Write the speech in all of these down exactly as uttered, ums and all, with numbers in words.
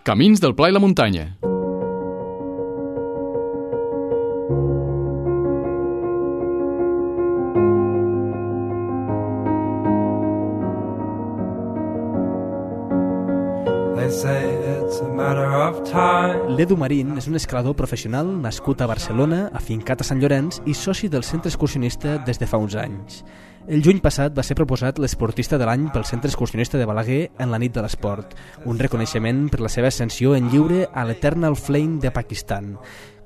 Camins del Pla i la Muntanya. L'Edu Marín és un escalador professional nascut a Barcelona, afincat a Sant Llorenç i soci del Centre Excursionista des de fa uns anys. El juny passat va ser proposat l'esportista de l'any pel Centre Excursionista de Balaguer en la nit de l'esport, un reconeixement per la seva ascensió en lliure a l'Eternal Flame de Pakistan.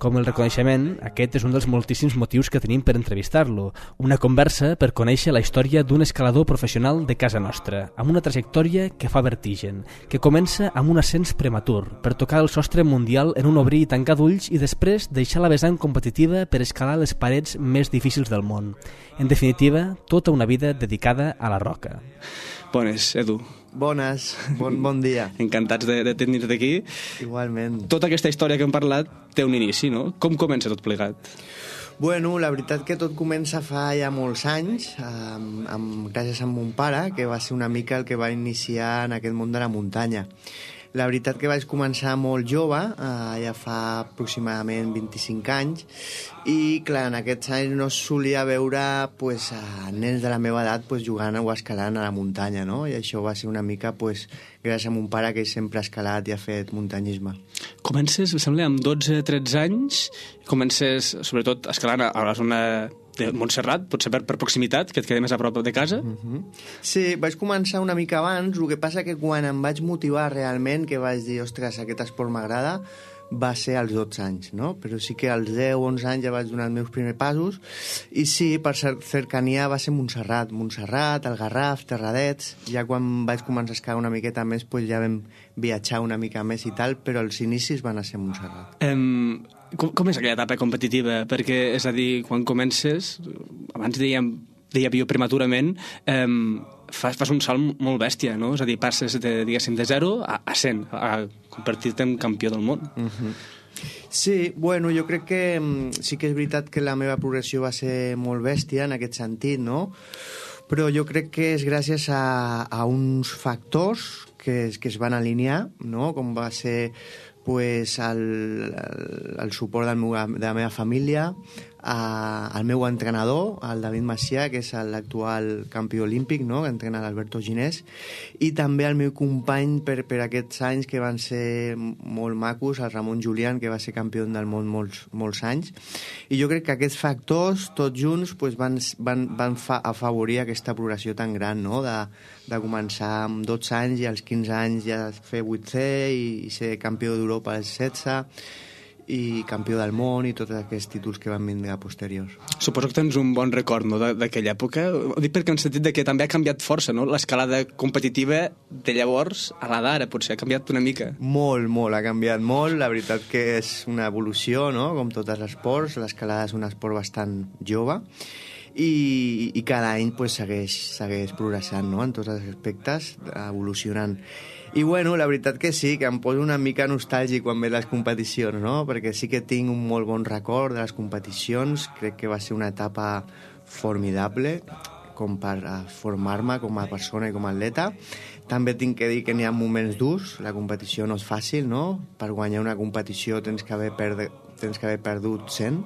Com el reconeixement, aquest és un dels moltíssims motius que tenim per entrevistar-lo, una conversa per conèixer la història d'un escalador professional de casa nostra, amb una trajectòria que fa vertigen, que comença amb un ascens prematur, per tocar el sostre mundial en un obrir i tancar d'ulls i després deixar la vessant competitiva per escalar les parets més difícils del món. En definitiva, tota una vida dedicada a la roca. Bones, Edu. Bones, bon, bon dia. Encantats de, de tenir-te aquí. Igualment. Tota aquesta història que hem parlat té un inici, no? Com comença tot plegat? Bueno, la veritat que tot comença fa ja molts anys, amb, amb, gràcies a mon pare, que va ser una mica el que va iniciar en aquest món de la muntanya. La veritat que vaig començar molt jove, eh, ja fa aproximadament vint-i-cinc anys, i clar, en aquests anys no solia veure pues, nens de la meva edat pues, jugant o escalant a la muntanya, no? I això va ser una mica pues, gràcies a mon pare, que sempre ha escalat i ha fet muntanyisme. Comences, em sembla, amb dotze tretze anys, comences sobretot escalant a la zona de Montserrat, potser per, per proximitat, que et quedi més a prop de casa. Uh-huh. Sí, vaig començar una mica abans, el que passa que quan em vaig motivar realment, que vaig dir, ostres, aquest esport m'agrada, va ser als dotze anys, no? Però sí que als deu onze anys ja vaig donar els meus primers passos, i sí, per cercania va ser Montserrat, Montserrat, el Garraf, Terradets. Ja quan vaig començar a escalar una miqueta més, pues ja vam viatjar una mica més i tal, però els inicis van a ser Montserrat. Um, com, com és aquella etapa competitiva? Perquè, és a dir, quan comences, abans dèiem, deia jo prematurament, um, fas, fas un salt molt bèstia, no? És a dir, passes de, diguéssim, de zero a, a cent, a convertir-te en campió del món. Uh-huh. Sí, bueno, jo crec que sí que és veritat que la meva progressió va ser molt bèstia en aquest sentit, no? Però jo crec que és gràcies a, a uns factors que, que es van alinear, no? Com va ser pues, el, el, el suport del meu, de la meva família, Uh, el meu entrenador, el David Macià, que és l'actual campió olímpic, no? Que entrena l'Alberto Ginés, i també el meu company per, per aquests anys que van ser molt macos, el Ramon Julián, que va ser campió del món molts, molts anys. I jo crec que aquests factors, tots junts, pues, van, van, van fa, afavorir aquesta progressió tan gran, no? De, de començar amb dotze anys i als quinze anys ja fer vuitè i, i ser campió d'Europa als setze, i campió del món i tots aquests títols que van vindre a posteriors. Suposo que tens un bon record, no?, d'aquella època. Ho dic perquè en el sentit de que també ha canviat força, no?, l'escalada competitiva de llavors a la d'ara, potser ha canviat una mica. Molt, molt, ha canviat molt. La veritat que és una evolució, no?, com tots els esports. L'escalada és un esport bastant jove i, i cada any pues, segueix, segueix progressant, no?, en tots els aspectes, evolucionant. I bueno, la veritat que sí, que em poso una mica nostàlgic quan ve les competicions, no? Perquè sí que tinc un molt bon record de les competicions, crec que va ser una etapa formidable com per formar-me com a persona i com a atleta. També tinc que dir que n'hi ha moments durs, la competició no és fàcil, no? Per guanyar una competició tens que haver, perde, tens que haver perdut cent.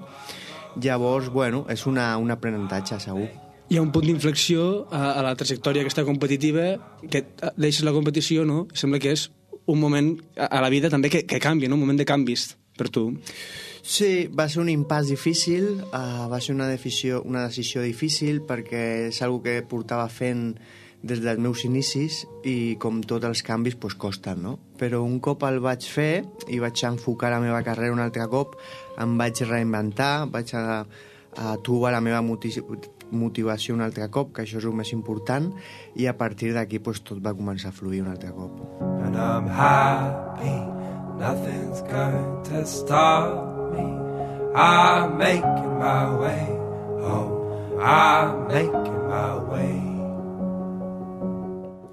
Llavors, bueno, és una, un aprenentatge, segur. Hi ha un punt d'inflexió a, a la trajectòria aquesta competitiva, que deixes la competició, no? Sembla que és un moment a, a la vida també que, que canvia, no? Un moment de canvis per tu. Sí, va ser un impàs difícil, uh, va ser una decisió, una decisió difícil perquè és una que portava fent des dels meus inicis i com tots els canvis pues, costen, no? Però un cop el vaig fer i vaig enfocar la meva carrera un altre cop, em vaig reinventar, vaig a, a trobar la meva motivació motivació un altre cop, que això és el més important, i a partir d'aquí pues, tot va començar a fluir un altre cop. And I'm happy, nothing's going to stop me. I'm making my way home, I'm making my way.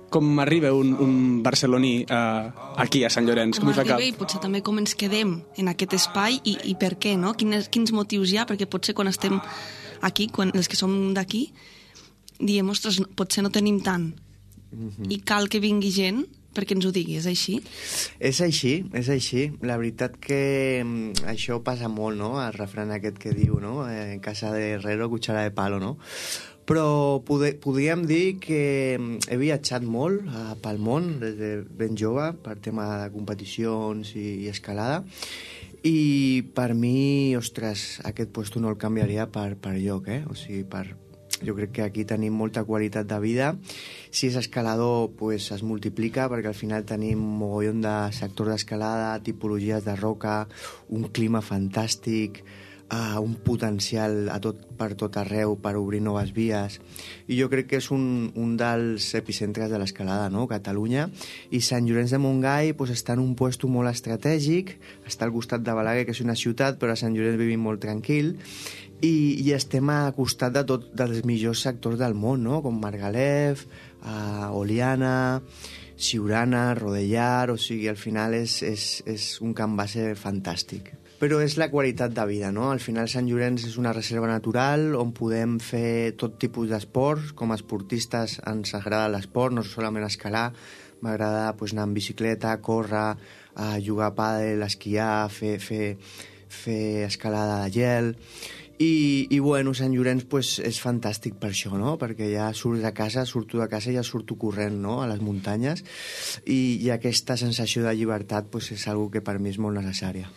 Com arriba un, un barceloní uh, aquí a Sant Llorenç? Com, com arriba i potser també com ens quedem en aquest espai i, i per què, no? Quins, quins motius hi ha? Perquè potser quan estem aquí, quan els que som d'aquí, diem, ostres, potser no tenim tant. Mm-hmm. I cal que vingui gent perquè ens ho digui, és així? És així, és així. La veritat que això passa molt, no?, el refrany aquest que diu, no?, en casa de herrero, cuchara de palo, no? Però pode, podríem dir que he viatjat molt uh, pel món des de ben jove per tema de competicions i, i escalada, i per mi, ostres, aquest puesto no el canviaria per, per lloc, eh? O sigui, per, jo crec que aquí tenim molta qualitat de vida. Si és escalador, pues, es multiplica, perquè al final tenim un mogollon de sectors d'escalada, tipologies de roca, un clima fantàstic, uh, un potencial a tot, per tot arreu per obrir noves vies. I jo crec que és un, un dels epicentres de l'escalada, no?, Catalunya. I Sant Llorenç de Montgai pues, està en un lloc molt estratègic, està al costat de Balaguer, que és una ciutat, però a Sant Llorenç vivim molt tranquil, i, i estem a costat de tot dels millors sectors del món, no?, com Margalef, uh, Oliana, Siurana, Rodellar, o sigui, al final és, és, és un camp base fantàstic. Però és la qualitat de vida, no? Al final Sant Llorenç és una reserva natural on podem fer tot tipus d'esports. Com a esportistes ens agrada l'esport, no solament escalar, m'agrada pues, anar en bicicleta, córrer, uh, jugar a pàdel, esquiar, fer, fer, fer escalada de gel. I, i bueno, Sant Llorenç pues, és fantàstic per això, no? Perquè ja surts de casa, surto de casa i ja surto corrent, no?, a les muntanyes, i, i aquesta sensació de llibertat pues, és una que per mi és molt necessària.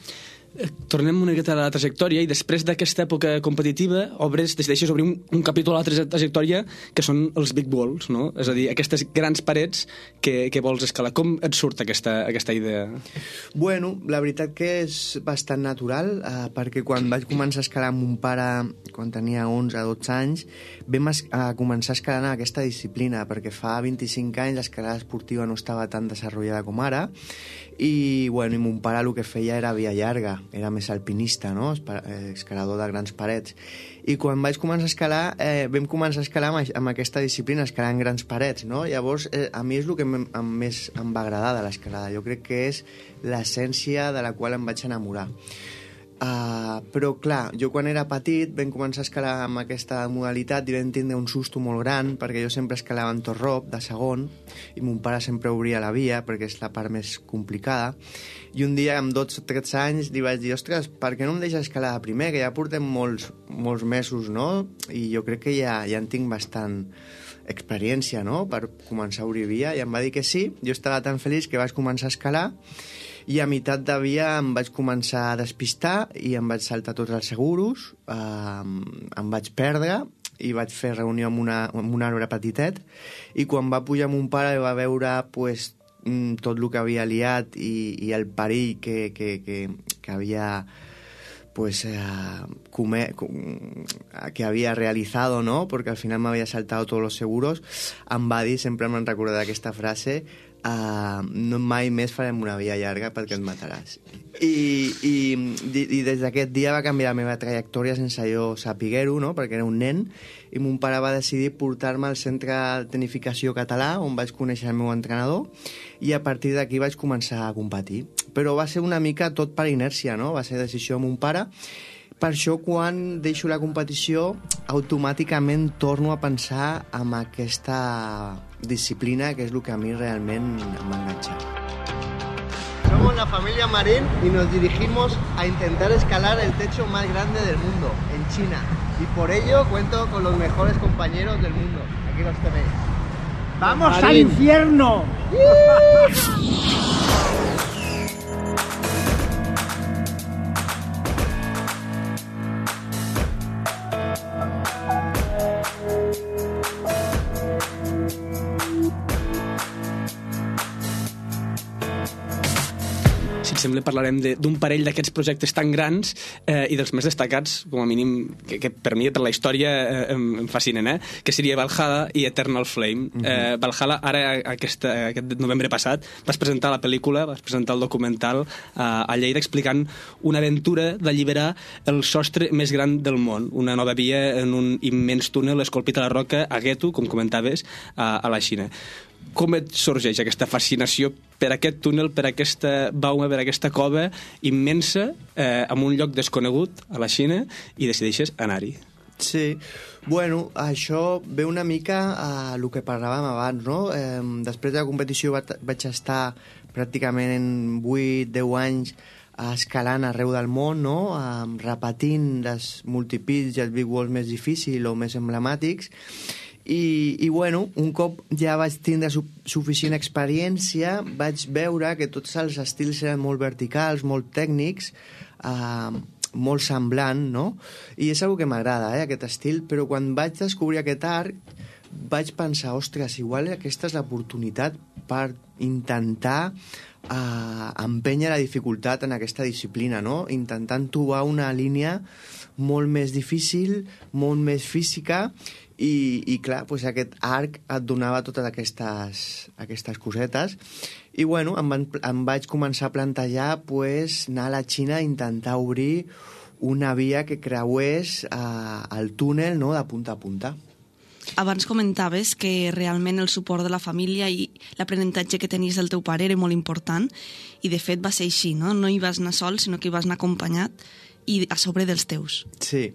Tornem una miqueta a la trajectòria, i després d'aquesta època competitiva obres, decideixes obrir un, un capítol a la trajectòria que són els big walls, no? És a dir, aquestes grans parets que, que vols escalar. Com et surt aquesta, aquesta idea? Bueno, la veritat que és bastant natural, eh, perquè quan vaig començar a escalar amb mon pare, quan tenia onze o dotze anys, vam es, a començar a escalar en aquesta disciplina, perquè fa vint-i-cinc anys l'escalada esportiva no estava tan desenvolupada com ara, i, bueno, i mon pare el que feia era via llarga, era més alpinista, no?, escalador de grans parets. I quan vaig començar a escalar, eh, vam començar a escalar amb, amb aquesta disciplina, escalar en grans parets, no? Llavors, eh, a mi és el que em, em, més em va agradar de l'escalada. Jo crec que és l'essència de la qual em vaig enamorar. Uh, però clar, jo quan era petit vam començar a escalar amb aquesta modalitat i vam tindre un susto molt gran, perquè jo sempre escalava en torrop de segon i mon pare sempre obria la via perquè és la part més complicada, i un dia amb dotze o tretze anys li vaig dir, ostres, per què no em deixes escalar de primer, que ja portem molts, molts mesos, no? I jo crec que ja, ja en tinc bastant experiència, no?, per començar a obrir via, i em va dir que sí. Jo estava tan feliç que vaig començar a escalar, i a meitat de via em vaig començar a despistar i em vaig saltar tots els seguros, eh, em vaig perdre i vaig fer reunió amb, una, amb un arbre petitet, i quan va pujar mon pare va veure pues, tot el que havia liat i, i el perill que, que, que, que havia pues eh, come, que había realizado, ¿no?, porque al final me había saltado todos los seguros, em va dir, sempre me'n recordaré d'aquesta frase, Uh, no mai més farem una via llarga perquè et mataràs. I, i, i des d'aquest dia va canviar la meva trajectòria sense jo saber-ho, no?, perquè era un nen, i mon pare va decidir portar-me al centre de tecnificació català, on vaig conèixer el meu entrenador, i a partir d'aquí vaig començar a competir. Però va ser una mica tot per inèrcia, no?, va ser decisió de mon pare. Per això, quan deixo la competició, automàticament torno a pensar en aquesta disciplina, que és el que a mi realment m'ha enganxat. Somos la familia Marín y nos dirigimos a intentar escalar el techo más grande del mundo, en China. Y por ello cuento con los mejores compañeros del mundo. Aquí los tenéis. ¡Vamos Marín. Al infierno! Sembla parlarem d'un parell d'aquests projectes tan grans eh, i dels més destacats, com a mínim, que, que per mi, per la història, eh, em, em fascinen, eh? Que seria Valhalla i Eternal Flame. Uh-huh. eh, Valhalla, ara, aquest, aquest novembre passat, vas presentar la pel·lícula, vas presentar el documental eh, a Lleida, explicant una aventura d'alliberar el sostre més gran del món, una nova via en un immens túnel esculpit a la roca a Getu, com comentaves, a, a la Xina. Com et sorgeix aquesta fascinació per aquest túnel, per aquesta bauma, per aquesta cova immensa, eh, en un lloc desconegut a la Xina, i decideixes anar-hi? Sí, bueno, això ve una mica a el que parlàvem abans, no? Eh, després de la competició vaig estar pràcticament en vuit deu anys escalant arreu del món, no? Eh, repetint les multipits i els big walls més difícils o més emblemàtics. I, i bueno, un cop ja vaig tindre su suficient experiència, vaig veure que tots els estils eren molt verticals, molt tècnics, eh, molt semblant, no? I és una que m'agrada, eh, aquest estil, però quan vaig descobrir aquest art vaig pensar, ostres, igual aquesta és l'oportunitat per intentar eh, empènyer la dificultat en aquesta disciplina, no? Intentant trobar una línia molt més difícil, molt més física, i, i clar, pues aquest arc et donava totes aquestes, aquestes cosetes. I bueno, em, van, em vaig començar a plantejar pues, anar a la Xina a intentar obrir una via que creués eh, el túnel, no?, de punta a punta. Abans comentaves que realment el suport de la família i l'aprenentatge que tenies del teu pare era molt important, i de fet va ser així, no? No hi vas anar sol, sinó que hi vas anar acompanyat i a sobre dels teus. Sí.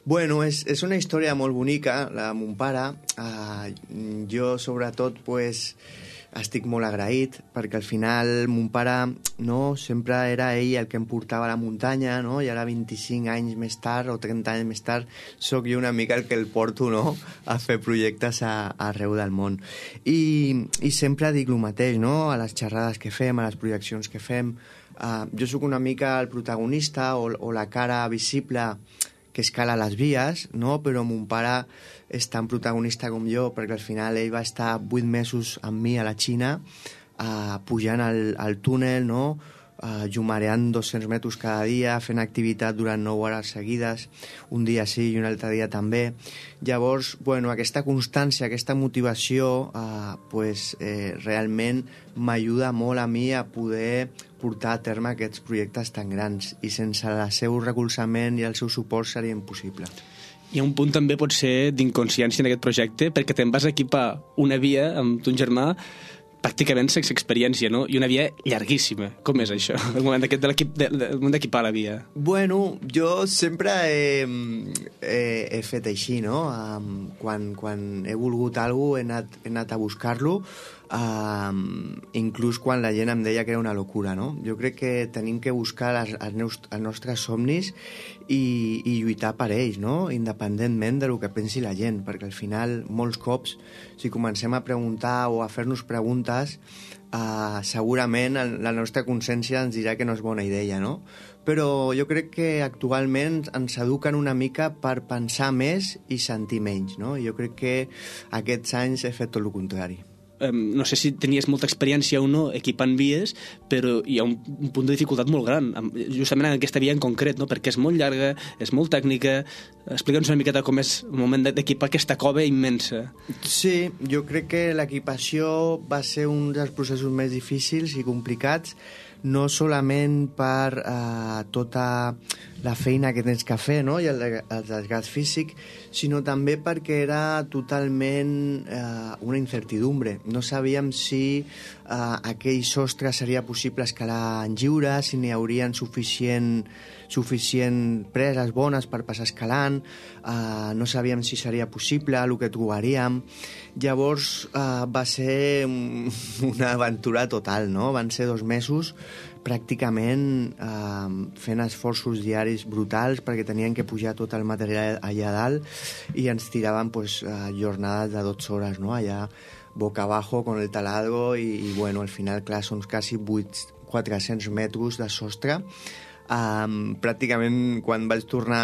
Bueno, és, és una història molt bonica, la de mon pare. Uh, jo, sobretot, pues, estic molt agraït, perquè al final mon pare, no, sempre era ell el que em portava a la muntanya, no? I ara vint-i-cinc anys més tard o trenta anys més tard sóc jo una mica el que el porto, no?, a fer projectes a, a arreu del món. I, i sempre dic el mateix, no?, a les xerrades que fem, a les projeccions que fem. Uh, jo sóc una mica el protagonista o, o la cara visible que escala les vies, no? Però mon pare és tan protagonista com jo, perquè al final ell va estar vuit mesos amb mi a la Xina, uh, pujant al, al túnel, no? Uh, llumareant dos-cents metres cada dia, fent activitat durant nou hores seguides, un dia sí i un altre dia també. Llavors, bueno, aquesta constància, aquesta motivació, uh, pues, eh, realment m'ajuda molt a mi a poder portar a terme aquests projectes tan grans, i sense el seu recolzament i el seu suport seria impossible. Hi ha un punt també pot ser d'inconsciència en aquest projecte, perquè te'n vas equipar una via amb ton germà pràcticament sense experiència, no? I una via llarguíssima. Com és això, el moment d'equipar la via? Bueno, jo sempre he, he, he fet així, no? Um, quan, quan he volgut alguna cosa he anat, he anat a buscar-lo, um, inclús quan la gent em deia que era una locura, no? Jo crec que tenim que buscar les, els, els nostres somnis i, i lluitar per ells, no? Independentment de lo que pensi la gent, perquè al final, molts cops, si comencem a preguntar o a fer-nos preguntes, uh, segurament la nostra consciència ens dirà que no és bona idea, no? Però jo crec que actualment ens eduquen una mica per pensar més i sentir menys, no? Jo crec que aquests anys he fet tot el contrari. Um, no sé si tenies molta experiència o no equipant vies, però hi ha un, un punt de dificultat molt gran, justament en aquesta via en concret, no? Perquè és molt llarga, és molt tècnica. Explica'ns una miqueta com és el moment d'equipar aquesta cova immensa. Sí, jo crec que l'equipació va ser un dels processos més difícils i complicats, no solament per eh, tota la feina que tens que fer, no?, i el, el desgast físic, sinó també perquè era totalment eh, una incertidumbre. No sabíem si eh, aquell sostre seria possible escalar en lliure, si n'hi haurien suficient, suficient preses bones per passar escalant, eh, no sabíem si seria possible el que trobaríem. Llavors eh, va ser una aventura total, no? Van ser dos mesos pràcticament eh, fent esforços diaris brutals perquè tenien que pujar tot el material allà dalt i ens tiraven pues, eh, jornades de dotze hores, no? Allà boca abajo con el taladro i, i bueno, al final, clar, són quasi quatre-cents metres de sostre. Um, pràcticament quan vaig tornar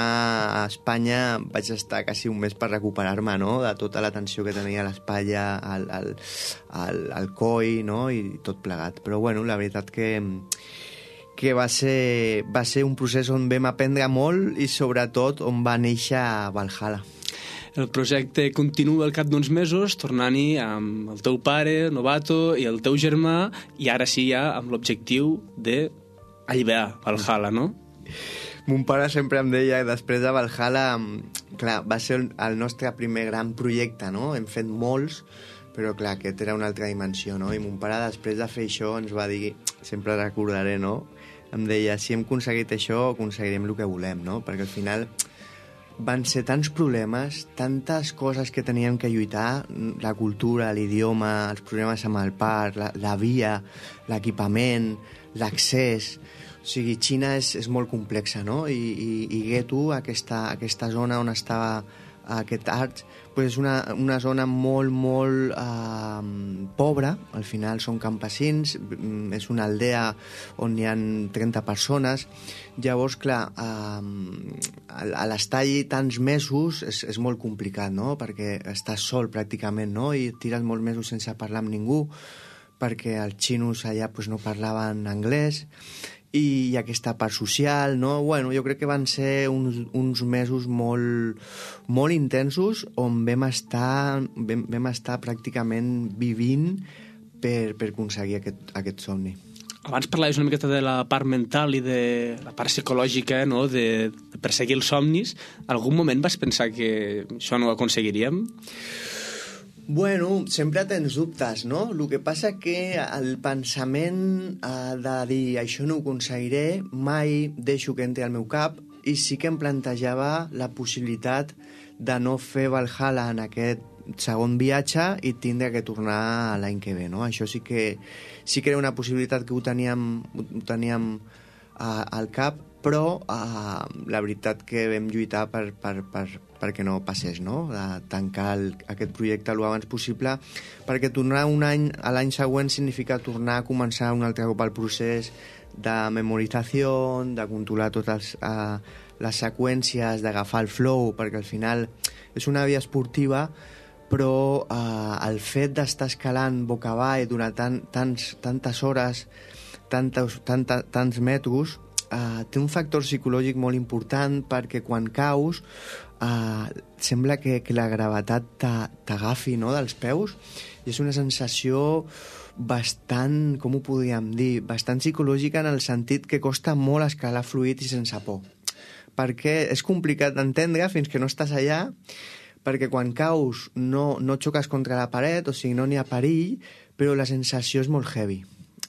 a Espanya vaig estar quasi un mes per recuperar-me, no?, de tota la tensió que tenia a l'espatlla, al, al, al, al coll, no?, i tot plegat. Però bueno, la veritat que, que va, ser, va ser un procés on vam aprendre molt i sobretot on va néixer Valhalla. El projecte continua al cap d'uns mesos, tornant-hi amb el teu pare, Novato, i el teu germà, i ara sí ja amb l'objectiu de alliberar Valhalla, no? Mon pare sempre em deia que després de Valhalla, clar, va ser el nostre primer gran projecte, no? Hem fet molts, però clar, aquest era una altra dimensió, no? I mon pare, després de fer això, ens va dir, sempre recordaré, no? Em deia, si hem aconseguit això, aconseguirem el que volem, no? Perquè al final van ser tants problemes, tantes coses que teníem que lluitar, la cultura, l'idioma, els problemes amb el parc, la, la via, l'equipament, l'accés... O sigui, Xina és, és molt complexa, no? I, i, i Getu, aquesta, aquesta zona on estava aquest art, pues és una, una zona molt, molt eh, pobra. Al final són campesins, és una aldea on hi ha trenta persones. Llavors, clar, eh, a l'estar allí tants mesos és, és molt complicat, no? Perquè estàs sol pràcticament, no? I tires molts mesos sense parlar amb ningú, perquè els xinos allà pues, no parlaven anglès, i aquesta part social, no? Bueno, jo crec que van ser uns, uns mesos molt, molt intensos on vam estar, vam, vam estar pràcticament vivint per, per aconseguir aquest, aquest somni. Abans parlaves una miqueta de la part mental i de la part psicològica, no? de, de perseguir els somnis. Algun moment vas pensar que això no ho aconseguiríem? Bueno, sempre tens dubtes, no? El que passa que el pensament eh, de dir això no ho aconseguiré mai deixo que entri al meu cap, i sí que em plantejava la possibilitat de no fer Valhalla en aquest segon viatge i tindre que tornar l'any que ve, no? Això sí que, sí que era una possibilitat que ho teníem, ho teníem uh, al cap, però uh, la veritat que vam lluitar per, per, per, perquè no passés, no? De tancar el, aquest projecte el abans possible, perquè tornar un any a l'any següent significa tornar a començar un altre cop el procés de memorització, de controlar totes uh, les seqüències, d'agafar el flow, perquè al final és una via esportiva, però eh, el fet d'estar escalant boca avall durant tan, tants, tantes hores, tantes, tanta, tants metros, eh, té un factor psicològic molt important, perquè quan caus eh, sembla que, que la gravetat t'agafi, no?, dels peus, i és una sensació bastant, com ho podríem dir, bastant psicològica, en el sentit que costa molt escalar fluid i sense por, perquè és complicat d'entendre fins que no estàs allà, perquè quan caus no, no xoques contra la paret, o sigui, no n'hi ha perill, però la sensació és molt heavy,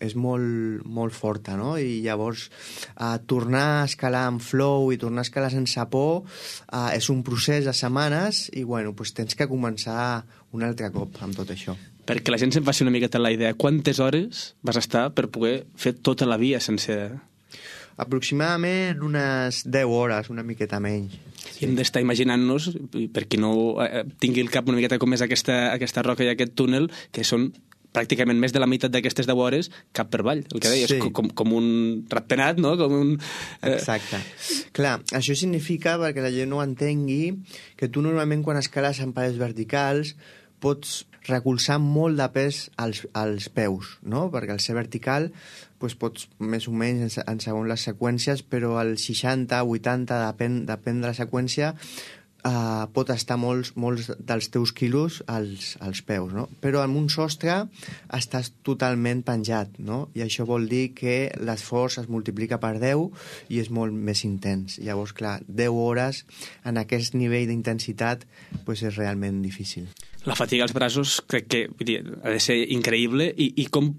és molt, molt forta, no? I llavors eh, tornar a escalar amb flow i tornar a escalar sense por eh, és un procés de setmanes, i bueno, pues tens que començar un altre cop amb tot això. Perquè la gent se'n faci una miqueta la idea, quantes hores vas estar per poder fer tota la via sencera? Aproximadament unes deu hores, una miqueta menys. Sí. I hem d'estar imaginant-nos, per qui no eh, tingui el cap una miqueta com és aquesta, aquesta roca i aquest túnel, que són pràcticament més de la meitat d'aquestes deu hores cap per avall, el que deies, sí. com, com un ratpenat, no? Com un, eh... Exacte. Clar, això significa, perquè la gent no entengui, que tu normalment quan escales en parets verticals pots recolzar molt de pes als, als peus, no? Perquè al ser vertical doncs pots més o menys en segons les seqüències, però el seixanta, vuitanta, depèn, depèn de la seqüència, eh, pot estar molts, molts dels teus quilos als, als peus, no? Però en un sostre estàs totalment penjat, no? I això vol dir que l'esforç es multiplica per deu i és molt més intens. Llavors, clar, deu hores en aquest nivell d'intensitat doncs és realment difícil. La fatiga als braços crec que vull dir, ha de ser increïble, i, i com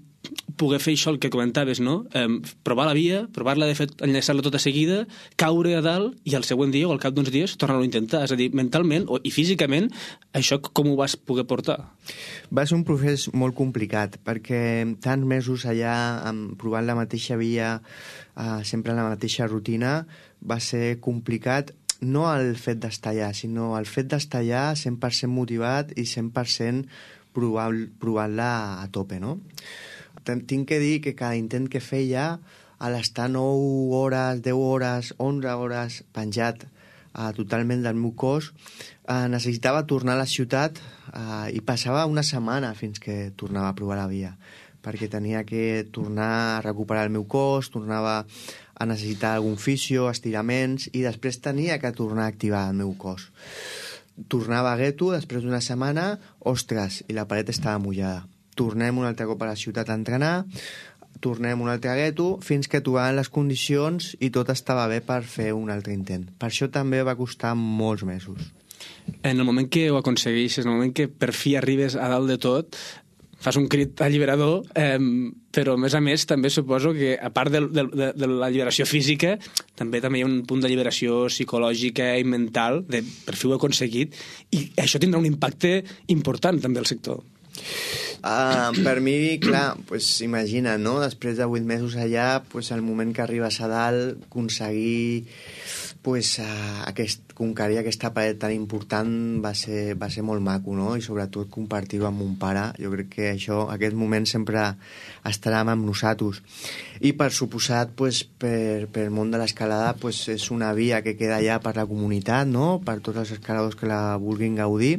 poder fer això el que comentaves, no? Eh, provar la via, provar-la de fet, enllaçar-la tota seguida, caure a dalt i al següent dia o al cap d'uns dies tornar-ho a intentar. És a dir, mentalment o, i físicament, això com ho vas poder portar? Va ser un procés molt complicat, perquè tants mesos allà provant la mateixa via, eh, sempre en la mateixa rutina, va ser complicat. No el fet d'estar allà, sinó el fet d'estar allà cent per cent motivat i cent per cent provant-la a tope, no? Tinc que dir que cada intent que feia, a l'estar nou hores, deu hores, onze hores penjat eh, totalment del meu cos, eh, necessitava tornar a la ciutat eh, i passava una setmana fins que tornava a provar la via, perquè tenia que tornar a recuperar el meu cos, tornava a necessitar algun fisio, estiraments, i després tenia que tornar a activar el meu cos. Tornava a Getu, després d'una setmana, ostres, i la paret estava mullada. Tornem un altre cop a la ciutat a entrenar, tornem un altre a Getu, fins que trobàvem les condicions i tot estava bé per fer un altre intent. Per això també va costar molts mesos. En el moment que ho aconsegueixes, en el moment que per fi arribes a dalt de tot, fas un crit alliberador, eh, però a més a més també suposo que a part de, de, de, de la lliberació física també també hi ha un punt de lliberació psicològica i mental de per fi ho he aconseguit, i això tindrà un impacte important també al sector. Uh, per mi, clar, pues, imagina, no? Després de vuit mesos allà, pues, el moment que arribes a dalt, aconseguir pues, uh, aquest, conquerir aquesta paret tan important va ser, va ser molt maco, no? I sobretot compartir-ho amb mon pare. Jo crec que això, aquest moment sempre estarà amb nosaltres. I per suposat, pues, per, per el món de l'escalada, pues, és una via que queda allà per la comunitat, no? Per tots els escaladors que la vulguin gaudir,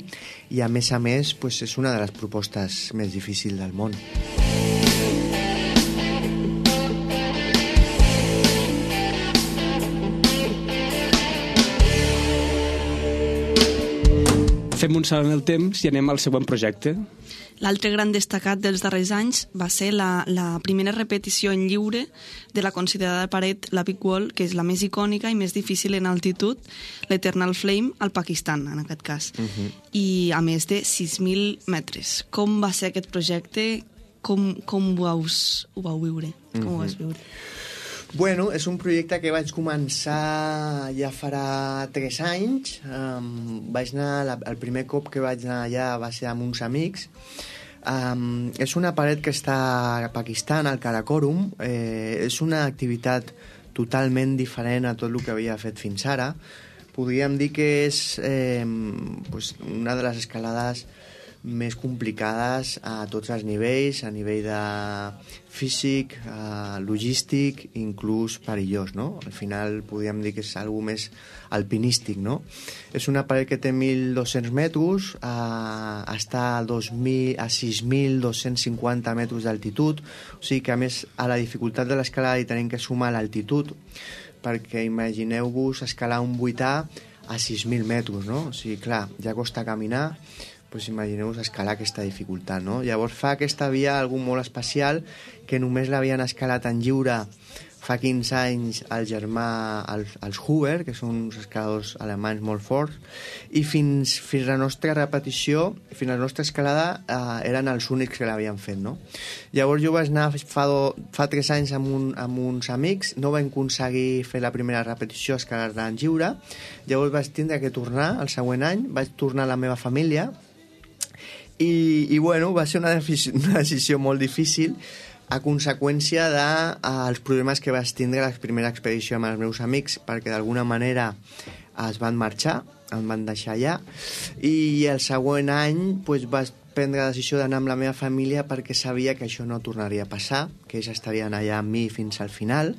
i a més a més pues, és una de les propostes més difícils del món. Fem un salt en el temps i anem al següent projecte. L'altre gran destacat dels darrers anys va ser la, la primera repetició en lliure de la considerada paret, la Big Wall, que és la més icònica i més difícil en altitud, l'Eternal Flame, al Pakistan, en aquest cas. Uh-huh. I a més de sis mil metres. Com va ser aquest projecte? Com, com ho, vaus, ho vau viure? Com uh-huh. ho vas viure? Bueno, és un projecte que vaig començar ja farà tres anys. Um, vaig anar, la, el primer cop que vaig anar allà va ser amb uns amics. Um, és una paret que està a Pakistan, al Karakorum. Eh, és una activitat totalment diferent a tot el que havia fet fins ara. Podríem dir que és eh, pues una de les escalades més complicades a tots els nivells, a nivell de físic, eh, logístic, inclús perillós, no? Al final podríem dir que és algo més alpinístic, no? És una paret que té mil dos-cents metres, eh, està a, dos mil, a sis mil dos-cents cinquanta metres d'altitud, o sigui que a més a la dificultat de l'escalada hi tenim que sumar l'altitud, perquè imagineu-vos escalar un vuità a sis mil metres, no? O sigui, clar, ja costa caminar, pues imagineu-vos escalar aquesta dificultat, no? Llavors fa aquesta via algú molt especial que només l'havien escalat en lliure fa quinze anys el germà, els, els Huber, que són uns escaladors alemanys molt forts, i fins, fins la nostra repetició, fins la nostra escalada, eh, eren els únics que l'havien fet, no? Llavors jo vaig anar fa, do, fa tres anys amb, un, amb uns amics, no vam aconseguir fer la primera repetició, escalar-la en lliure, llavors vaig tindre que tornar el següent any, vaig tornar a la meva família, i, i bueno, va ser una, una decisió molt difícil a conseqüència dels de, problemes que vaig tindre a la primera expedició amb els meus amics, perquè d'alguna manera es van marxar, em van deixar allà, i el següent any pues, vaig prendre la decisió d'anar amb la meva família perquè sabia que això no tornaria a passar, que ells estarien allà amb mi fins al final.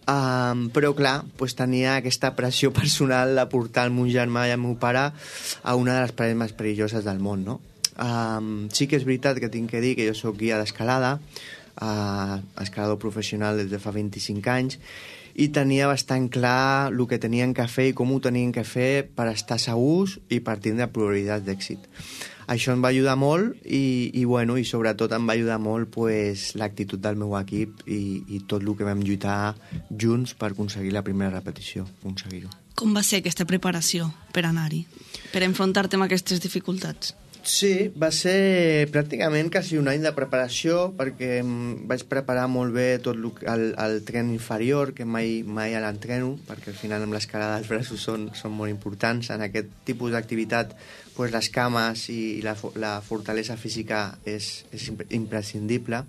Um, però clar, pues, tenia aquesta pressió personal de portar el meu germà i el meu pare a una de les parets més perilloses del món, no? Um, sí que és veritat que tinc que dir que jo soc guia d'escalada, uh, escalador professional des de fa vint-i-cinc anys, i tenia bastant clar el que tenien que fer i com ho tenien que fer per estar segurs i per tindre probabilitats d'èxit. Això em va ajudar molt i, i, bueno, i sobretot em va ajudar molt pues, l'actitud del meu equip i, i tot el que vam lluitar junts per aconseguir la primera repetició, aconseguir-ho. Com va ser aquesta preparació per anar-hi, per enfrontar-te amb aquestes dificultats? Sí, va ser pràcticament quasi un any de preparació perquè vaig preparar molt bé tot el, el tren inferior, que mai, mai l'entreno, perquè al final amb l'escalada els braços són, són molt importants. En aquest tipus d'activitat pues, les cames i la, la fortalesa física és, és imprescindible.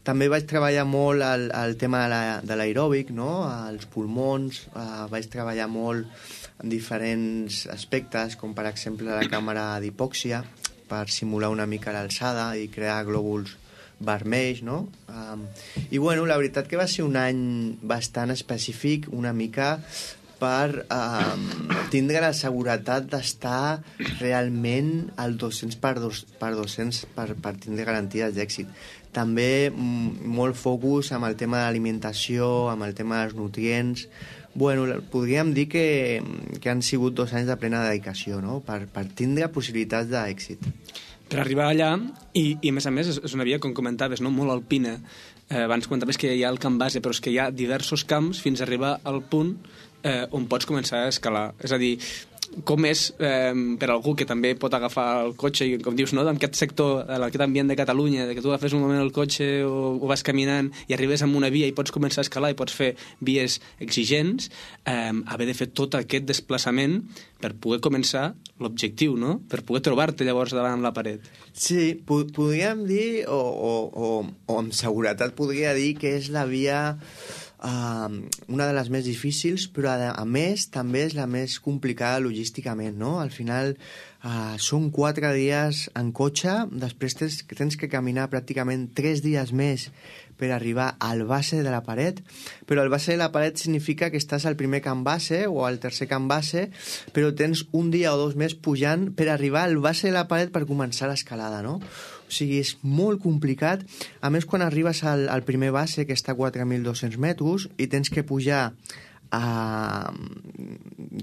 També vaig treballar molt el, el tema de l'aeròbic, no? Els pulmons, eh, vaig treballar molt en diferents aspectes, com per exemple la càmera d'hipòxia, per simular una mica l'alçada i crear glòbuls vermells, no? Um, I bueno, la veritat que va ser un any bastant específic, una mica per um, tindre la seguretat d'estar realment al dos-cents per dos-cents per, per tindre garanties d'èxit. També m- molt focus amb el tema de l'alimentació, amb el tema dels nutrients. Bueno, podríem dir que, que han sigut dos anys de plena dedicació, no? Per, per tindre possibilitats d'èxit. Per arribar allà, i, i a més a més és una via, com comentaves, no? Molt alpina. Eh, abans comentaves que hi ha el camp base, però és que hi ha diversos camps fins a arribar al punt eh, on pots començar a escalar. És a dir, com és eh, per algú que també pot agafar el cotxe i, com dius, no? En aquest sector, en aquest ambient de Catalunya, de que tu agafes un moment el cotxe o, o vas caminant i arribes a una via i pots començar a escalar i pots fer vies exigents, eh, haver de fer tot aquest desplaçament per poder començar l'objectiu, no? Per poder trobar-te llavors davant amb la paret. Sí, po podríem dir, o, o, o, o amb seguretat podria dir que és la via Uh, una de les més difícils, però a, a més també és la més complicada logísticament, no? Al final uh, són quatre dies en cotxe, després tens, tens que caminar pràcticament tres dies més per arribar al base de la paret, però el base de la paret significa que estàs al primer camp base o al tercer camp base, però tens un dia o dos més pujant per arribar al base de la paret per començar l'escalada, no? O sigui, és molt complicat. A més, quan arribes al, al primer base, que està a quatre mil dos-cents metres, i tens que pujar a,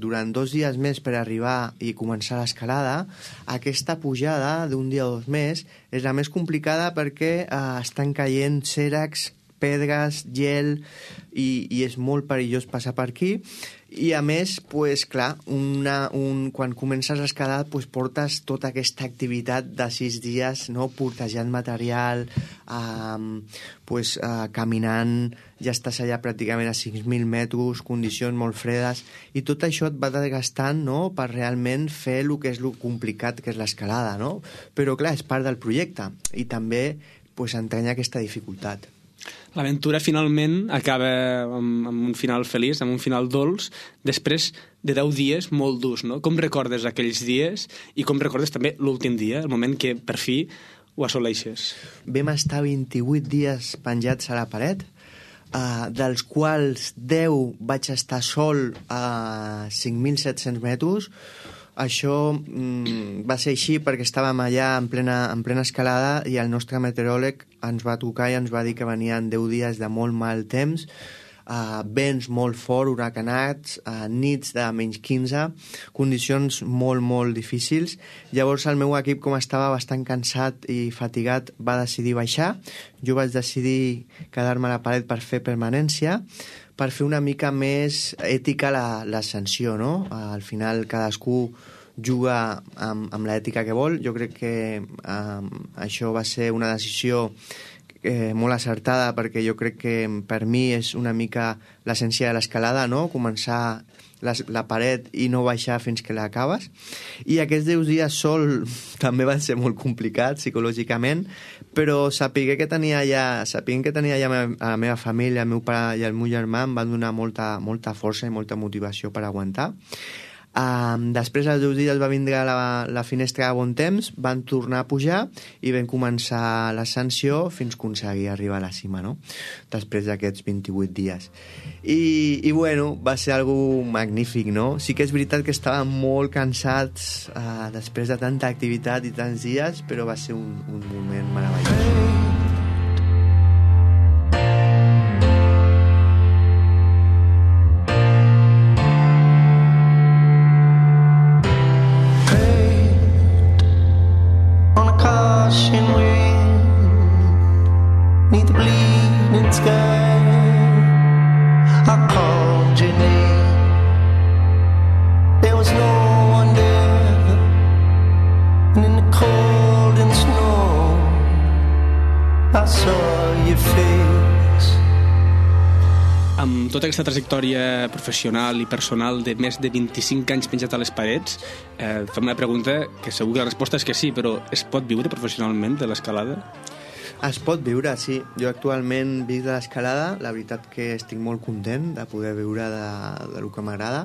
durant dos dies més per arribar i començar l'escalada, aquesta pujada d'un dia o dos més és la més complicada perquè eh, estan caient cèrrecs, pedres, gel, i, i és molt perillós passar per aquí. I a més, pues, clar, una, un, quan comences l'escalada pues, portes tota aquesta activitat de sis dies, no? Portejant material, um, pues, uh, caminant, ja estàs allà pràcticament a cinc mil metres, condicions molt fredes, i tot això et va desgastant, no? Per realment fer el que és el complicat que és l'escalada, no? Però clar, és part del projecte i també pues, entranya aquesta dificultat. L'aventura finalment acaba amb, amb un final feliç, amb un final dolç, després de deu dies molt durs, no? Com recordes aquells dies i com recordes també l'últim dia, el moment que per fi ho assoleixes? Vam estar vint-i-vuit dies penjats a la paret, uh, dels quals deu vaig estar sol a cinc mil set-cents metres. Això mm, va ser així perquè estàvem allà en plena, en plena escalada i el nostre meteoròleg ens va trucar i ens va dir que venien deu dies de molt mal temps, uh, vents molt fort, huracanats, uh, nits de menys quinze, condicions molt, molt difícils. Llavors el meu equip, com estava bastant cansat i fatigat, va decidir baixar. Jo vaig decidir quedar-me a la paret per fer permanència, per fer una mica més ètica l'ascensió, no? Al final cadascú juga amb, amb l'ètica que vol. Jo crec que um, això va ser una decisió eh, molt acertada, perquè jo crec que per mi és una mica l'essència de l'escalada, no? Començar la, la paret i no baixar fins que l'acabes. I aquests deu dies sol també van ser molt complicats psicològicament, però sapigué que tenia ja, sapiguent que tenia ja la meva família, el meu pare i el meu germà, em van donar molta, molta força i molta motivació per aguantar. Um, després dels deu dies va vindre la, la finestra de bon temps, van tornar a pujar i vam començar l'ascensió fins aconseguir arribar a la cima, no? Després d'aquests vint-i-vuit dies. I, i bueno, va ser algo magnífic, no? Sí que és veritat que estàvem molt cansats uh, després de tanta activitat i tants dies, però va ser un, un moment meravellós. Amb tota aquesta trajectòria professional i personal de més de vint-i-cinc anys penjat a les parets, eh, fem una pregunta que segur que la resposta és que sí, però es pot viure professionalment de l'escalada? Es pot viure, sí. Jo actualment visc de l'escalada, la veritat que estic molt content de poder viure de, de lo que m'agrada.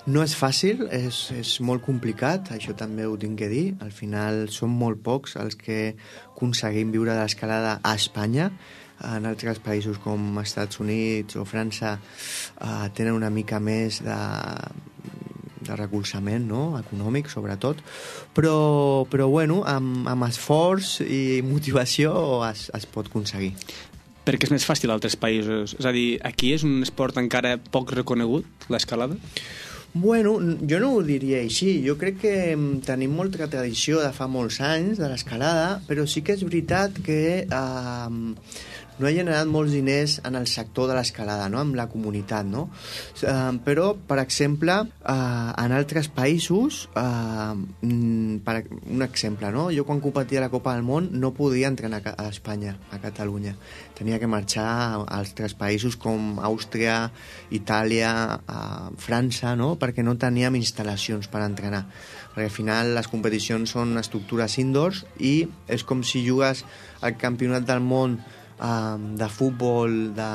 No és fàcil, és, és molt complicat, això també ho tinc que dir. Al final som molt pocs els que aconseguim viure de l'escalada a Espanya. En altres països com Estats Units o França eh, tenen una mica més de, de recolzament, no? Econòmic, sobretot, però, però bueno, amb, amb esforç i motivació es, es pot aconseguir. Perquè és més fàcil a altres països? És a dir, aquí és un esport encara poc reconegut, l'escalada? Bueno, jo no ho diria així. Jo crec que tenim molta tradició de fa molts anys de l'escalada, però sí que és veritat que eh, no ha generat molts diners en el sector de l'escalada, no? Amb la comunitat, no? Uh, però, per exemple, uh, en altres països, uh, per un exemple, no? Jo quan competia a la Copa del Món no podia entrenar a Espanya, a Catalunya. Tenia que marxar a altres països com Àustria, Itàlia, uh, França, no? Perquè no teníem instal·lacions per entrenar. Perquè al final les competicions són estructures indoors i és com si jugues al campionat del món um, de futbol de,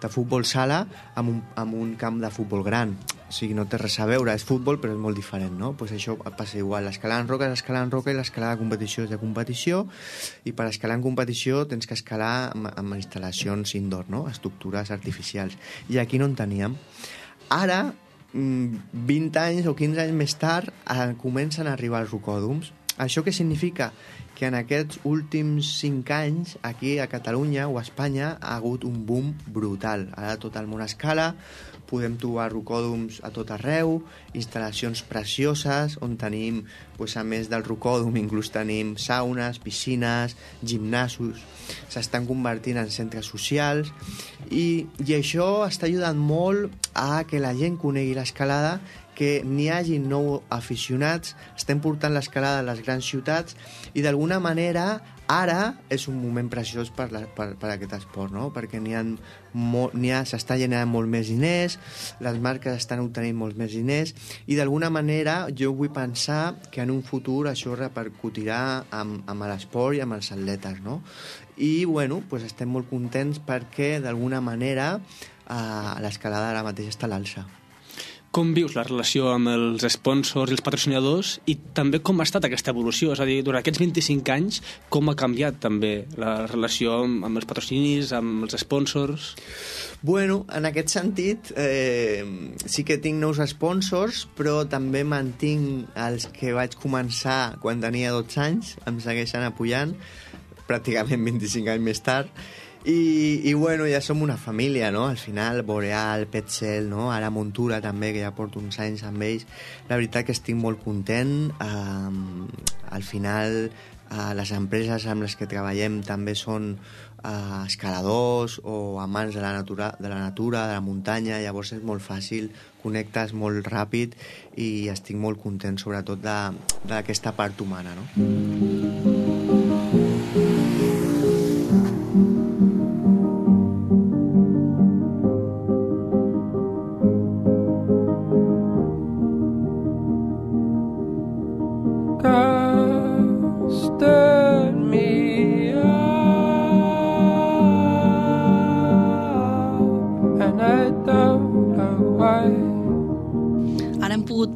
de futbol sala amb un, amb un camp de futbol gran. O sigui, no té res a veure, és futbol però és molt diferent, no? Pues això passa igual, l'escalar en roca és escalar en roca i l'escalar de competició és de competició, i per escalar en competició tens que escalar amb, amb instal·lacions indoor, no? Estructures artificials, i aquí no en teníem. Ara, vint anys o quinze anys més tard, eh, comencen a arribar els rocòdroms. Això què significa? Que en aquests últims cinc anys, aquí a Catalunya o a Espanya, ha hagut un boom brutal. Ara tot el món escala, podem trobar rocòdroms a tot arreu, instal·lacions precioses, on tenim, pues, a més del rocòdrom, inclús tenim saunes, piscines, gimnasos, s'estan convertint en centres socials, i, i això està ajudant molt a que la gent conegui l'escalada, que n'hi hagi nou aficionats, estem portant l'escalada a les grans ciutats, i d'alguna manera ara és un moment preciós per, la, per, per aquest esport, no? Perquè n'hi ha, n'hi ha, s'està generant molt més diners, les marques estan obtenint molts més diners, i d'alguna manera jo vull pensar que en un futur això repercutirà amb, amb l'esport i amb els atletes, no? I bueno, pues estem molt contents perquè d'alguna manera eh, l'escalada ara mateix està a l'alça. Com vius la relació amb els sponsors i els patrocinadors, i també com ha estat aquesta evolució? És a dir, durant aquests vint-i-cinc anys, com ha canviat també la relació amb els patrocinis, amb els sponsors? Bueno, en aquest sentit, eh, sí que tinc nous sponsors, però també mantinc els que vaig començar quan tenia dotze anys, em segueixen apoyant, pràcticament vint-i-cinc anys més tard, I, i bueno, ja som una família, no? Al final, Boreal, Petzl, no? Ara Montura també, que ja porto uns anys amb ells. La veritat que estic molt content. Um, al final, uh, les empreses amb les que treballem també són uh, escaladors o amants de la, natura, de la natura, de la muntanya, llavors és molt fàcil, connectes molt ràpid i estic molt content, sobretot d'aquesta part humana, no?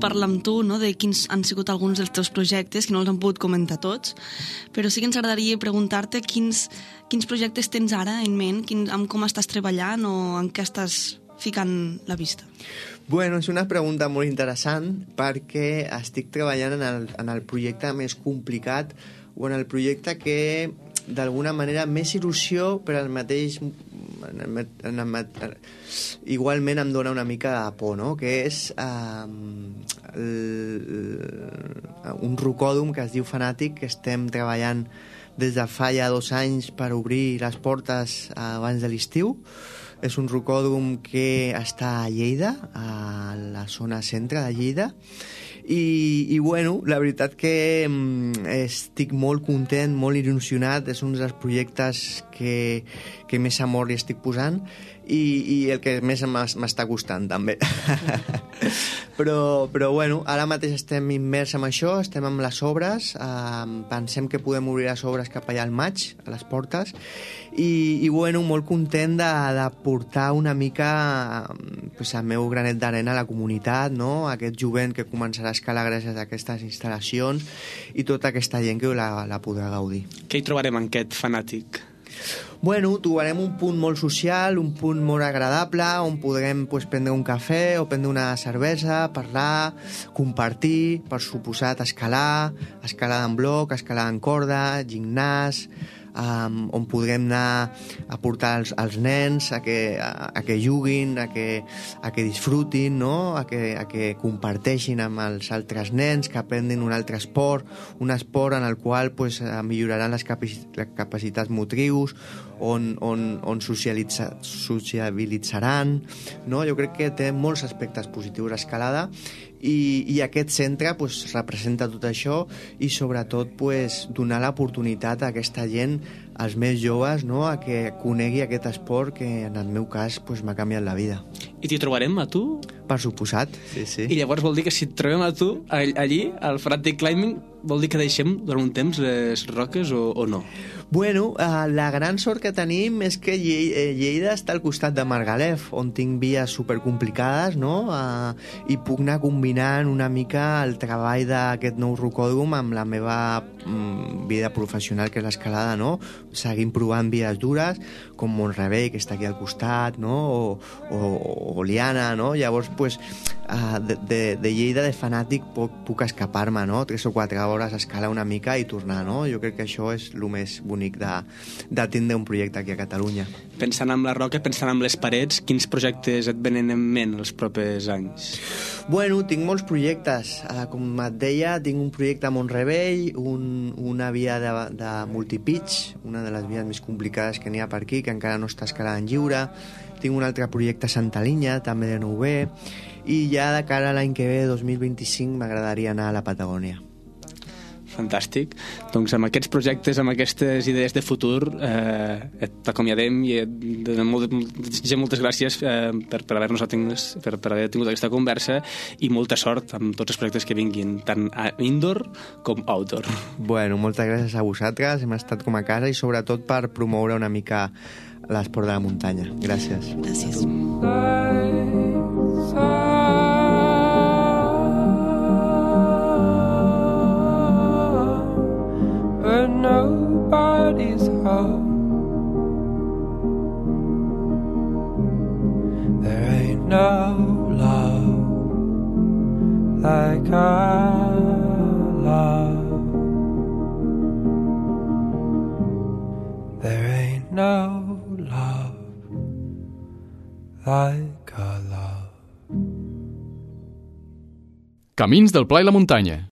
Parlar amb tu, no?, de quins han sigut alguns dels teus projectes, que no els han pogut comentar tots, però sí que ens agradaria preguntar-te quins, quins projectes tens ara en ment, quin, amb com estàs treballant o en què estàs ficant la vista. Bueno, és una pregunta molt interessant perquè estic treballant en el, en el projecte més complicat o en el projecte que d'alguna manera més il·lusió, però al mateix en el, en el, igualment em dona una mica de por, no? Que és eh, el, un rocòdrom que es diu Fanàtic, que estem treballant des de fa ja dos anys per obrir les portes abans de l'estiu. És un rocòdrom que està a Lleida, a la zona centre de Lleida, i, i bueno, la veritat que mm, estic molt content, molt il·lusionat, és un dels projectes que, que més amor li estic posant i, i el que més m'està costant també. però, però bueno, ara mateix estem immers en això, estem amb les obres, eh, pensem que podem obrir les obres cap allà al maig, a les portes, i, i bueno, molt content de, de portar una mica pues, el meu granet d'arena a la comunitat, no? Aquest jovent que començarà a escalar gràcies a aquestes instal·lacions i tota aquesta gent que la, la podrà gaudir. Què hi trobarem en aquest Fanàtic? Bueno, trobarem un punt molt social, un punt molt agradable, on podrem pues, prendre un cafè o prendre una cervesa, parlar, compartir, per suposat escalar, escalar en bloc, escalar en corda, gimnàs, um, on podrem anar a portar els, els nens a que, a, a que juguin, a que, a que disfrutin, no? a, que, a que comparteixin amb els altres nens, que aprenguin un altre esport, un esport en el qual pues, milloraran les, capaci les capacitats motrius, on, on, on socialitza, sociabilitzaran, no? Jo crec que té molts aspectes positius l'escalada i, i aquest centre pues, representa tot això i sobretot pues, donar l'oportunitat a aquesta gent, als més joves, no? A que conegui aquest esport que en el meu cas pues, m'ha canviat la vida. I t'hi trobarem a tu? Per suposat, sí, sí. I llavors vol dir que si et trobem a tu allí, al Frantic Climbing, vol dir que deixem durant un temps les roques o, o no? Bueno, eh, la gran sort que tenim és que Lle eh, Lleida està al costat de Margalef, on tinc vies supercomplicades, no? Eh, I puc anar combinant una mica el treball d'aquest nou rocòdrom amb la meva mm, vida professional, que és l'escalada, no? Seguim provant vies dures, com Montrevell, que està aquí al costat, no? O, o, o Liana, no? Llavors, pues, eh, de, de, de Lleida, de fanàtic, puc, puc escapar-me, no? Tres o quatre hores a escalar una mica i tornar, no? Jo crec que això és el més bonic de, de tindre un projecte aquí a Catalunya. Pensant en la roca, pensant en les parets, quins projectes et venen en ment els propers anys? Bueno, tinc molts projectes. Uh, com et deia, tinc un projecte a Montrevell, un, una via de, de multipitch, una de les vies més complicades que n'hi ha per aquí, que encara no està escalada en lliure. Tinc un altre projecte a Santa Linya, també de nou B, i ja de cara a l'any que ve, dos mil vint-i-cinc, m'agradaria anar a la Patagònia. Fantàstic. Doncs amb aquests projectes, amb aquestes idees de futur, eh, t'acomiadem i et donem molt, moltes gràcies eh, per, per haver-nos per, per haver tingut aquesta conversa i molta sort amb tots els projectes que vinguin, tant a indoor com outdoor. Bueno, moltes gràcies a vosaltres, hem estat com a casa i sobretot per promoure una mica l'esport de la muntanya. Gràcies. Gràcies. But nobody's home. There ain't no love like our love. There ain't no love like our love. Camins del Pla i la Muntanya.